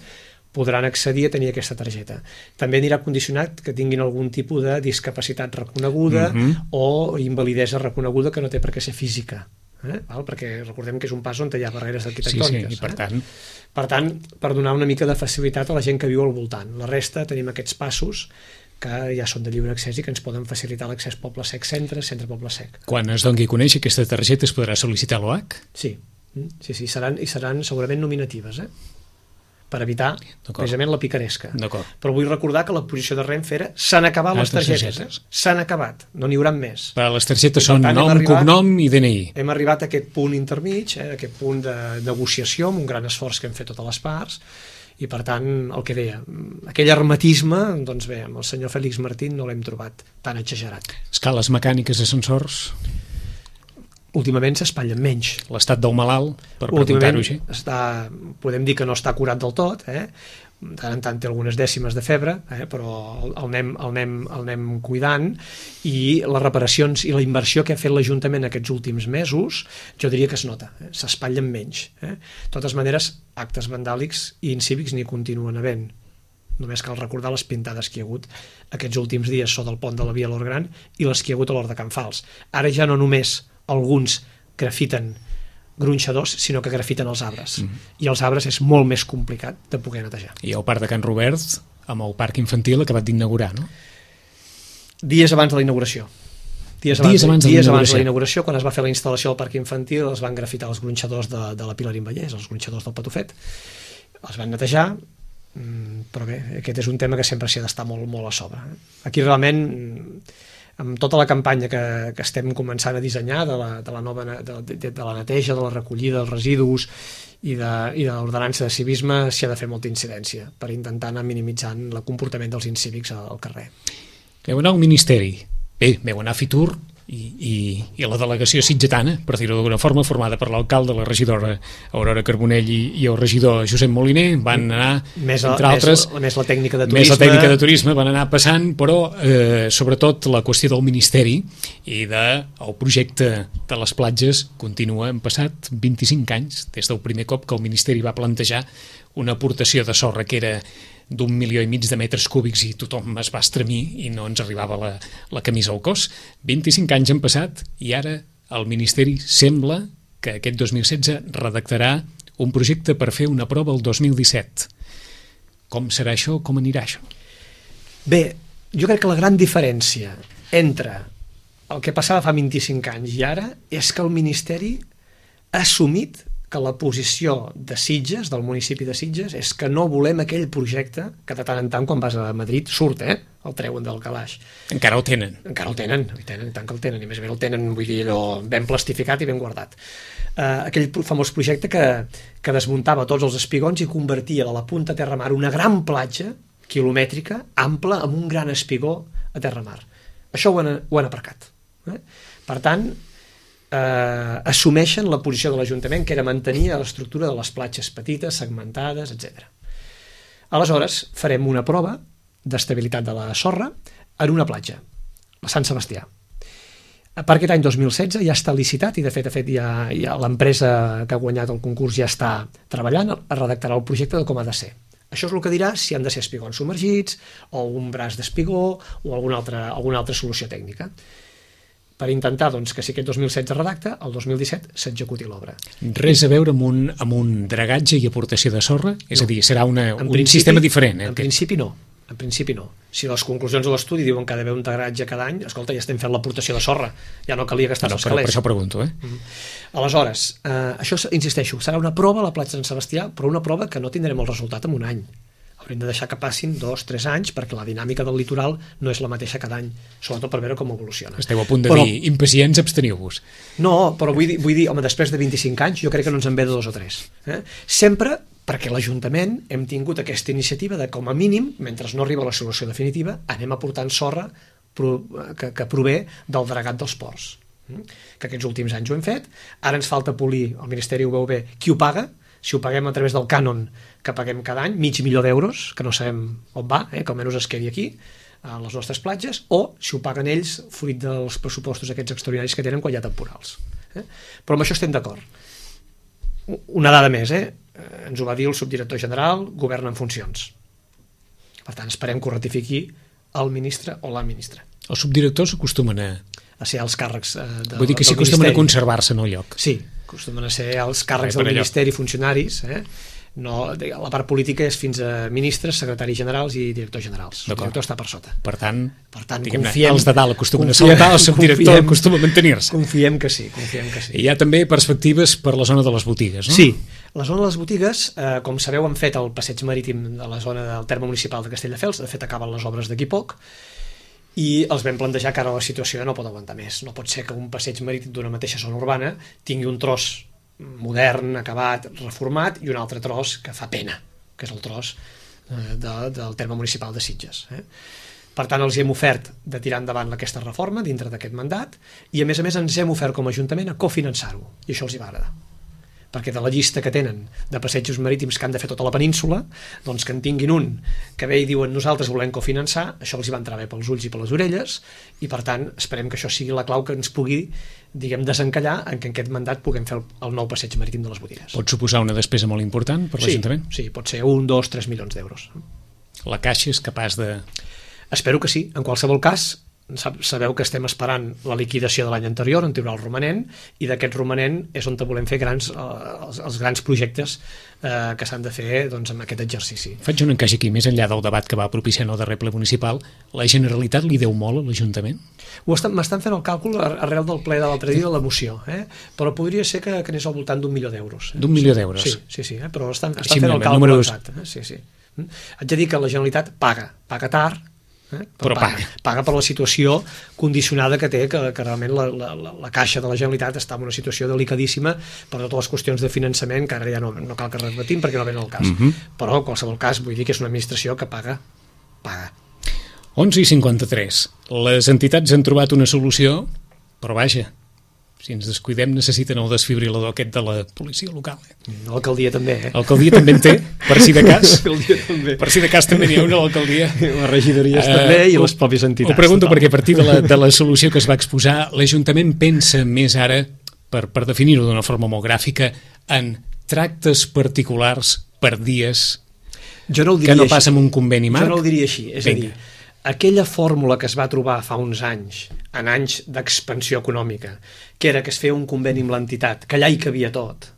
podran accedir a tenir aquesta targeta. També anirà condicionat que tinguin algun tipus de discapacitat reconeguda mm-hmm. o invalidesa reconeguda que no té per què ser física. Eh? Val? Perquè recordem que és un pas on hi ha barreres arquitectòniques. Sí, sí, i per eh? tant... Per tant, per donar una mica de facilitat a la gent que viu al voltant. La resta tenim aquests passos que ja són de lliure accés i que ens poden facilitar l'accés Poble Sec Centre, Centre Poble Sec. Quan es doni a conèixer aquesta targeta es podrà sol·licitar l'O H? Sí, sí, sí, seran, i seran segurament nominatives, eh? Per evitar precisament la picaresca. Però vull recordar que la posició de Renfe era s'han acabat les targetes, eh? S'han acabat, no n'hi haurà més. Però les targetes són nom, cognom i D N I. Hem arribat a aquest punt intermig, eh? aquest punt de negociació amb un gran esforç que hem fet totes les parts, i per tant, el que deia, aquell hermetisme, doncs bé, amb el senyor Fèlix Martín no l'hem trobat tan exagerat. Escales mecàniques, ascensors... últimament s'espatllen menys. L'estat del malalt, per preguntar-ho així. Està, podem dir que no està curat del tot, eh? De tant en tant té algunes dècimes de febre, eh? però el, el, anem, el, anem, el anem cuidant, i les reparacions i la inversió que ha fet l'Ajuntament aquests últims mesos, jo diria que es nota, eh? s'espatllen menys. Eh? De totes maneres, actes vandàlics i incívics n'hi continuen havent. Només cal recordar les pintades que hi ha hagut aquests últims dies sota el pont de la Via Lor Gran i les que hi ha hagut a l'Hort de Can Fals. Ara ja no només alguns grafiten gronxadors, sinó que grafiten els arbres. Mm. I els arbres és molt més complicat de poder netejar. I el parc de Can Robert, amb el parc infantil acabat d'inaugurar, no? Dies abans de la inauguració. Dies abans, dies abans, de, dies abans de la inauguració, quan es va fer la instal·lació del parc infantil, es van grafitar els gronxadors de, de la Pilarín Vallès, els gronxadors del Patufet. Els van netejar, però bé, aquest és un tema que sempre s'hi ha d'estar molt, molt a sobre. Aquí realment, amb tota la campanya que, que estem començant a dissenyar de la, de la nova de, de, de la neteja, de la recollida dels residus i de, i de l'ordenança de civisme, s'hi ha de fer molta incidència per intentar anar minimitzant el comportament dels incívics al carrer. Veu anar al Ministeri, bé, veu anar a Fitur i, i, i la delegació sitgetana, per dir-ho d'alguna forma, formada per l'alcalde, la regidora Aurora Carbonell i, i el regidor Josep Moliner, van anar, més la, entre altres, més, més la tècnica de turisme, més la tècnica de turisme, van anar passant, però eh, sobretot la qüestió del Ministeri i del de, projecte de les platges continua. Han passat vint-i-cinc anys des del primer cop que el Ministeri va plantejar una aportació de sorra que era d'un milió i mig de metres cúbics i tothom es va estremir i no ens arribava la, la camisa al cos. vint-i-cinc anys han passat i ara el Ministeri sembla que aquest dos mil setze redactarà un projecte per fer una prova el dos mil disset. Com serà això? Com anirà això? Bé, jo crec que la gran diferència entre el que passava fa vint-i-cinc anys i ara és que el Ministeri ha assumit que la posició de Sitges, del municipi de Sitges, és que no volem aquell projecte que de tant en tant quan vas a Madrid surt, eh? El treuen del calaix. Encara el tenen. Encara el tenen, i tenen, i tant que el tenen, i més bé el tenen, vull dir, allò ben plastificat i ben guardat. Uh, aquell famós projecte que, que desmuntava tots els espigons i convertia de la punta a terra mar una gran platja quilomètrica, ampla, amb un gran espigó a terra mar. Això ho han, ho han aparcat. Eh? Per tant, Eh, assumeixen la posició de l'Ajuntament, que era mantenir l'estructura de les platges petites, segmentades, etcètera. Aleshores, farem una prova d'estabilitat de la sorra en una platja, la Sant Sebastià. Per aquest any dos mil setze ja està licitat i de fet, de fet ja, ja l'empresa que ha guanyat el concurs ja està treballant, redactarà el projecte de com ha de ser. Això és el que dirà si han de ser espigons submergits o un braç d'espigó o alguna altra, alguna altra solució tècnica, per intentar doncs, que si aquest dos mil setze redacta, el dos mil disset s'executi l'obra. Res a veure amb un, amb un dragatge i aportació de sorra? És no. a dir, serà una, un principi, sistema diferent? Eh, en principi no. En principi no. Si les conclusions de l'estudi diuen que ha d'haver un dragatge cada any, escolta, ja estem fent l'aportació de sorra, ja no calia gastar no, els però, calés. per això pregunto. Eh? Mm-hmm. Aleshores, eh, això, insisteixo, serà una prova a la platja de Sant Sebastià, però una prova que no tindrem el resultat en un any. Haurem de deixar que passin dos, tres anys, perquè la dinàmica del litoral no és la mateixa cada any, sobretot per veure com evoluciona. Esteu a punt de però, dir, impacients, absteniu-vos. No, però vull dir, vull dir, home, després de vint-i-cinc anys, jo crec que no ens en ve de dos o tres. Eh? Sempre perquè l'Ajuntament hem tingut aquesta iniciativa de, com a mínim, mentre no arriba la solució definitiva, anem aportant sorra que, que prové del dragat dels ports. Que aquests últims anys ho hem fet, ara ens falta polir, el Ministeri ho veu bé, qui ho paga, si ho paguem a través del cànon que paguem cada any, mig milió d'euros, que no sabem on va, eh, que almenys es quedi aquí, a les nostres platges, o si ho paguen ells fruit dels pressupostos aquests extraordinaris que tenen quan hi ha temporals. Eh? Però amb això estem d'acord. Una dada més, eh? Ens ho va dir el subdirector general, govern en funcions. Per tant, esperem que ho ratifiqui el ministre o la ministra. Els subdirectors acostumen a... a ser els càrrecs eh, de, Vull dir que sí acostumen a conservar-se en el lloc. Sí, acostumen a ser els càrrecs per del allò. Ministeri, funcionaris, eh? No, la part política és fins a ministres, secretaris generals i directors generals. El director està per sota. Per tant, per tant confiem, els de dalt acostumen confiem, a saltar, el subdirector confiem, acostuma a mantenir-se. Confiem que sí, confiem que sí. I hi ha també perspectives per la zona de les botigues, no? Sí, la zona de les botigues, eh, com sabeu, han fet el passeig marítim de la zona del terme municipal de Castelldefels, de fet acaben les obres d'aquí poc, i els vam plantejar que ara la situació ja no pot aguantar més. No pot ser que un passeig marítim d'una mateixa zona urbana tingui un tros modern, acabat, reformat, i un altre tros que fa pena, que és el tros eh, de, del terme municipal de Sitges. Eh? Per tant, els hem ofert de tirar endavant aquesta reforma dintre d'aquest mandat i, a més a més, ens hem ofert com a Ajuntament a cofinançar-ho, i això els hi va agradar. Perquè de la llista que tenen de passejos marítims que han de fer tota la península, doncs que en tinguin un que ve i diuen nosaltres volem cofinançar, això els hi va entrar bé pels ulls i per les orelles, i per tant esperem que això sigui la clau que ens pugui, diguem, desencallar en que en aquest mandat puguem fer el, el nou passeig marítim de les Botigues. Pot suposar una despesa molt important per l'Ajuntament? Sí, sí, pot ser un, dos, tres milions d'euros. La Caixa és capaç de... Espero que sí. En qualsevol cas, sabeu que estem esperant la liquidació de l'any anterior, on hi haurà el romanent, i d'aquest romanent és on volem fer grans, els, els grans projectes eh, que s'han de fer doncs, amb aquest exercici. Faig un encaix aquí, més enllà del debat que va propiciar el darrer ple municipal, la Generalitat li deu molt a l'Ajuntament? M'estan fent el càlcul arrel del ple de l'altre dia de la moció, eh? Però podria ser que, que anés al voltant d'un milió d'euros. Eh? D'un milió d'euros? Sí, sí, sí, eh? Però estan, estan fent el càlcul números... exacte. Eh? Sí, sí. Haig de dir que la Generalitat paga, paga tard, Eh? Però paga, paga. paga per la situació condicionada que té, que, que realment la, la, la Caixa de la Generalitat està en una situació delicadíssima per totes les qüestions de finançament, que ara ja no, no cal que repetim perquè no ven el cas. Uh -huh. Però en qualsevol cas vull dir que és una administració que paga, paga. onze i cinquanta-tres. Les entitats han trobat una solució, però vaja, si ens descuidem necessiten el desfibrilador aquest de la policia local. Eh? L'alcaldia també, eh? L'alcaldia també en té, per si de cas. L'alcaldia també. Per si de cas també n'hi ha una a l'alcaldia. Les regidories uh, també i les pròpies entitats. Ho pregunto total. perquè a partir de la, de la solució que es va exposar, l'Ajuntament pensa més ara, per, per definir-ho d'una forma molt gràfica, en tractes particulars per dies jo no ho diria que no així. passa amb un conveni marc? Jo no ho diria així, és Vinga. a dir, aquella fórmula que es va trobar fa uns anys, en anys d'expansió econòmica, que era que es feia un conveni amb l'entitat, que allà hi cabia tot.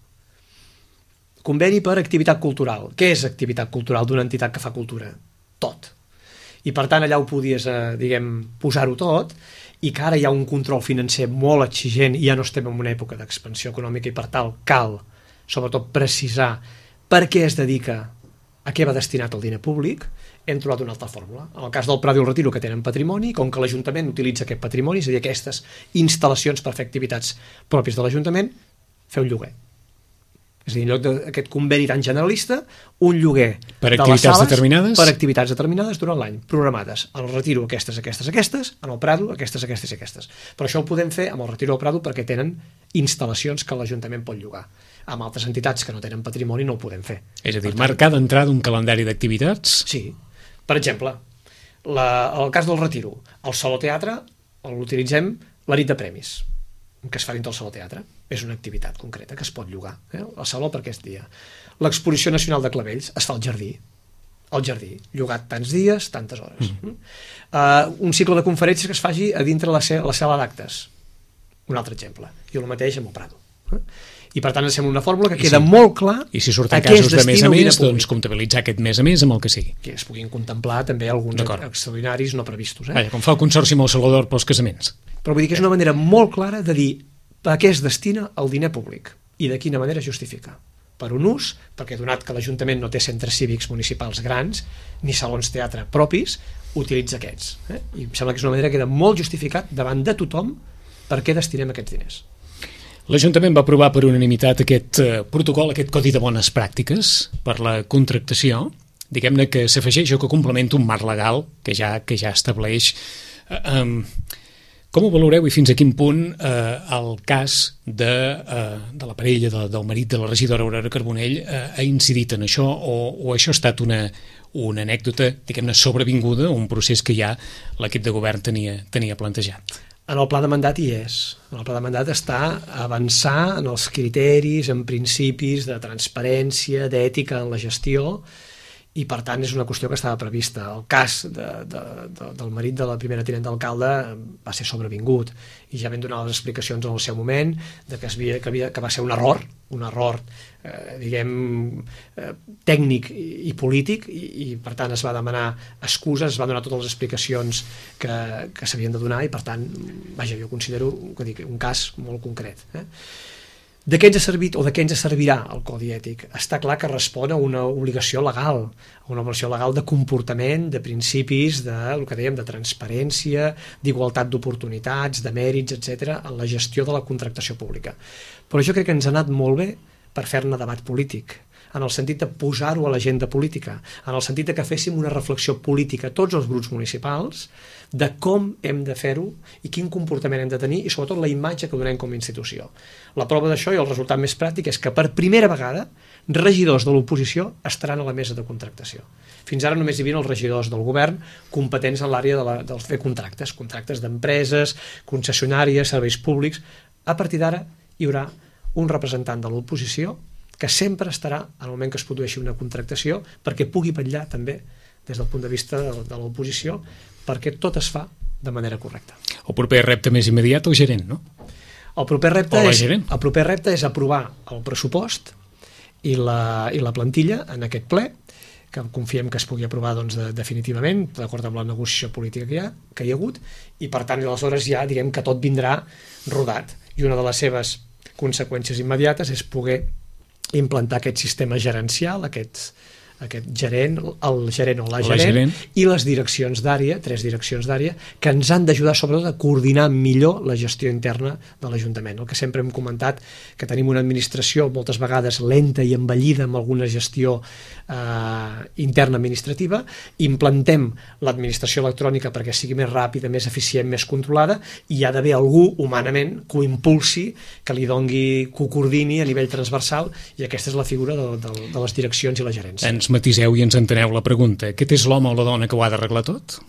Conveni per activitat cultural. Què és activitat cultural d'una entitat que fa cultura? Tot. I per tant allà ho podies, eh, diguem, posar-ho tot, i que ara hi ha un control financer molt exigent i ja no estem en una època d'expansió econòmica i per tal cal, sobretot, precisar per què es dedica, a què va destinat el diner públic. Hem trobat una altra fórmula. En el cas del Prado i el Retiro, que tenen patrimoni, com que l'Ajuntament utilitza aquest patrimoni, és a dir, aquestes instal·lacions per fer activitats pròpies de l'Ajuntament, fer un lloguer. És a dir, en lloc d'aquest conveni tan generalista, un lloguer per de activitats les sales determinades? Per activitats determinades durant l'any, programades. En el Retiro, aquestes, aquestes, aquestes, en el Prado, aquestes, aquestes i aquestes. Però això ho podem fer amb el Retiro i el Prado perquè tenen instal·lacions que l'Ajuntament pot llogar. Amb altres entitats que no tenen patrimoni no ho podem fer. És a dir, marcar d'entrada un calendari d'activitats? Sí. Per exemple, la, el cas del Retiro, el Saló Teatre l'utilitzem la nit de premis, que es fa dintre del Saló Teatre. És una activitat concreta que es pot llogar, eh? El saló per aquest dia. L'Exposició Nacional de Clavells es fa al jardí, al jardí, llogat tants dies, tantes hores. Mm. Uh, un cicle de conferències que es faci a dintre la, la sala d'actes, un altre exemple. I el mateix amb el Prado. Eh? I per tant ens sembla una fórmula que I queda si, molt clar i si surten casos de més a més, doncs comptabilitzar aquest més a més amb el que sigui. Que es puguin contemplar també alguns extraordinaris no previstos. Eh? Vaja, com fa el Consorci amb el Salvador pels casaments. Però vull dir que és una manera molt clara de dir a què es destina el diner públic i de quina manera es justifica. Per un ús, perquè donat que l'Ajuntament no té centres cívics municipals grans ni salons teatre propis, utilitza aquests. Eh? I em sembla que és una manera que queda molt justificat davant de tothom per què destinem aquests diners. L'Ajuntament va aprovar per unanimitat aquest eh, protocol, aquest codi de bones pràctiques per la contractació, diguem-ne que s'afegeix o que complementa un marc legal que ja, que ja estableix... Eh, eh, com ho valoreu i fins a quin punt eh, el cas de, eh, de la parella, de, del marit de la regidora Aurora Carbonell eh, ha incidit en això o, o això ha estat una, una anècdota, diguem-ne, sobrevinguda, un procés que ja l'equip de govern tenia, tenia plantejat? En el pla de mandat hi és. En el pla de mandat està avançar en els criteris, en principis de transparència, d'ètica en la gestió, i per tant és una qüestió que estava prevista. El cas de, de, de, del marit de la primera tinent d'alcalde va ser sobrevingut i ja vam donar les explicacions en el seu moment de que, es havia, que, havia, que va ser un error, un error eh, diguem eh, tècnic i, i polític i, i per tant es va demanar excuses, es va donar totes les explicacions que, que s'havien de donar i per tant, vaja, jo considero que dic, un cas molt concret. Eh? De què ens ha servit o de què ens servirà el codi ètic? Està clar que respon a una obligació legal, a una obligació legal de comportament, de principis, de, el que dèiem, de transparència, d'igualtat d'oportunitats, de mèrits, etcètera, en la gestió de la contractació pública. Però jo crec que ens ha anat molt bé per fer-ne debat polític. en el sentit de posar-ho a l'agenda política, en el sentit de que féssim una reflexió política a tots els grups municipals de com hem de fer-ho i quin comportament hem de tenir i sobretot la imatge que donem com a institució. La prova d'això i el resultat més pràctic és que per primera vegada regidors de l'oposició estaran a la mesa de contractació. Fins ara només hi havia els regidors del govern competents en l'àrea de, la, de fer contractes, contractes d'empreses, concessionàries, serveis públics. A partir d'ara hi haurà un representant de l'oposició que sempre estarà en el moment que es produeixi una contractació perquè pugui vetllar també des del punt de vista de, de l'oposició perquè tot es fa de manera correcta. El proper repte més immediat, el gerent, no? El proper repte, O la és, gerent. el proper repte és aprovar el pressupost i la, i la plantilla en aquest ple, que confiem que es pugui aprovar doncs, de, definitivament, d'acord amb la negociació política que hi ha, que hi ha hagut, i per tant, aleshores ja diguem que tot vindrà rodat. I una de les seves conseqüències immediates és poder implantar aquest sistema gerencial, aquests aquest gerent, el gerent o la gerent, la gerent i les direccions d'àrea, tres direccions d'àrea, que ens han d'ajudar sobretot a coordinar millor la gestió interna de l'Ajuntament. El que sempre hem comentat, que tenim una administració moltes vegades lenta i envellida amb alguna gestió eh, interna administrativa, implantem l'administració electrònica perquè sigui més ràpida, més eficient, més controlada, i hi ha d'haver algú humanament que ho impulsi, que li dongui, que ho coordini a nivell transversal, i aquesta és la figura de, de, de les direccions i la gerència. Ens matiseu i ens enteneu la pregunta. Aquest és l'home o la dona que ho ha d'arreglar tot?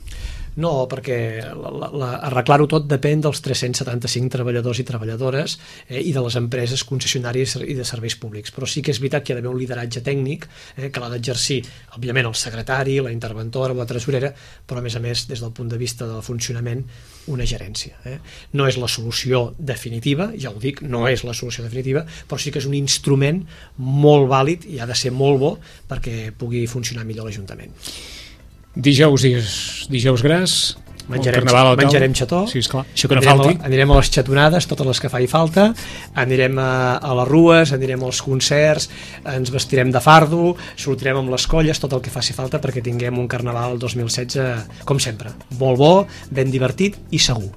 No, perquè la, la, la, arreglar-ho tot depèn dels tres-cents setanta-cinc treballadors i treballadores eh, i de les empreses concessionàries i de serveis públics. Però sí que és veritat que hi ha d'haver un lideratge tècnic eh, que l'ha d'exercir, òbviament, el secretari, la interventora, la tresorera, però a més a més, des del punt de vista del funcionament, una gerència. Eh? No és la solució definitiva, ja ho dic, no és la solució definitiva, però sí que és un instrument molt vàlid i ha de ser molt bo perquè pugui funcionar millor l'Ajuntament. Dijous i dijous gras, menjarem, carnaval, menjarem xató, sí, esclar. Això que no anirem, falti. A, anirem a les xatonades, totes les que faci falta, anirem a, a les rues, anirem als concerts, ens vestirem de fardo, sortirem amb les colles, tot el que faci falta perquè tinguem un carnaval dos mil setze, com sempre, molt bo, ben divertit i segur.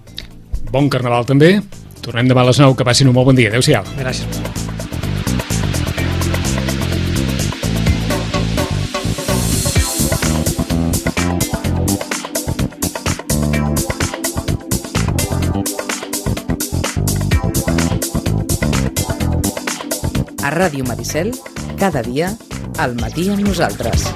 Bon carnaval també, tornem demà a les nou, que passin un molt bon dia, adeu-siau. Gràcies. A Ràdio Maricel, cada dia, al matí amb nosaltres.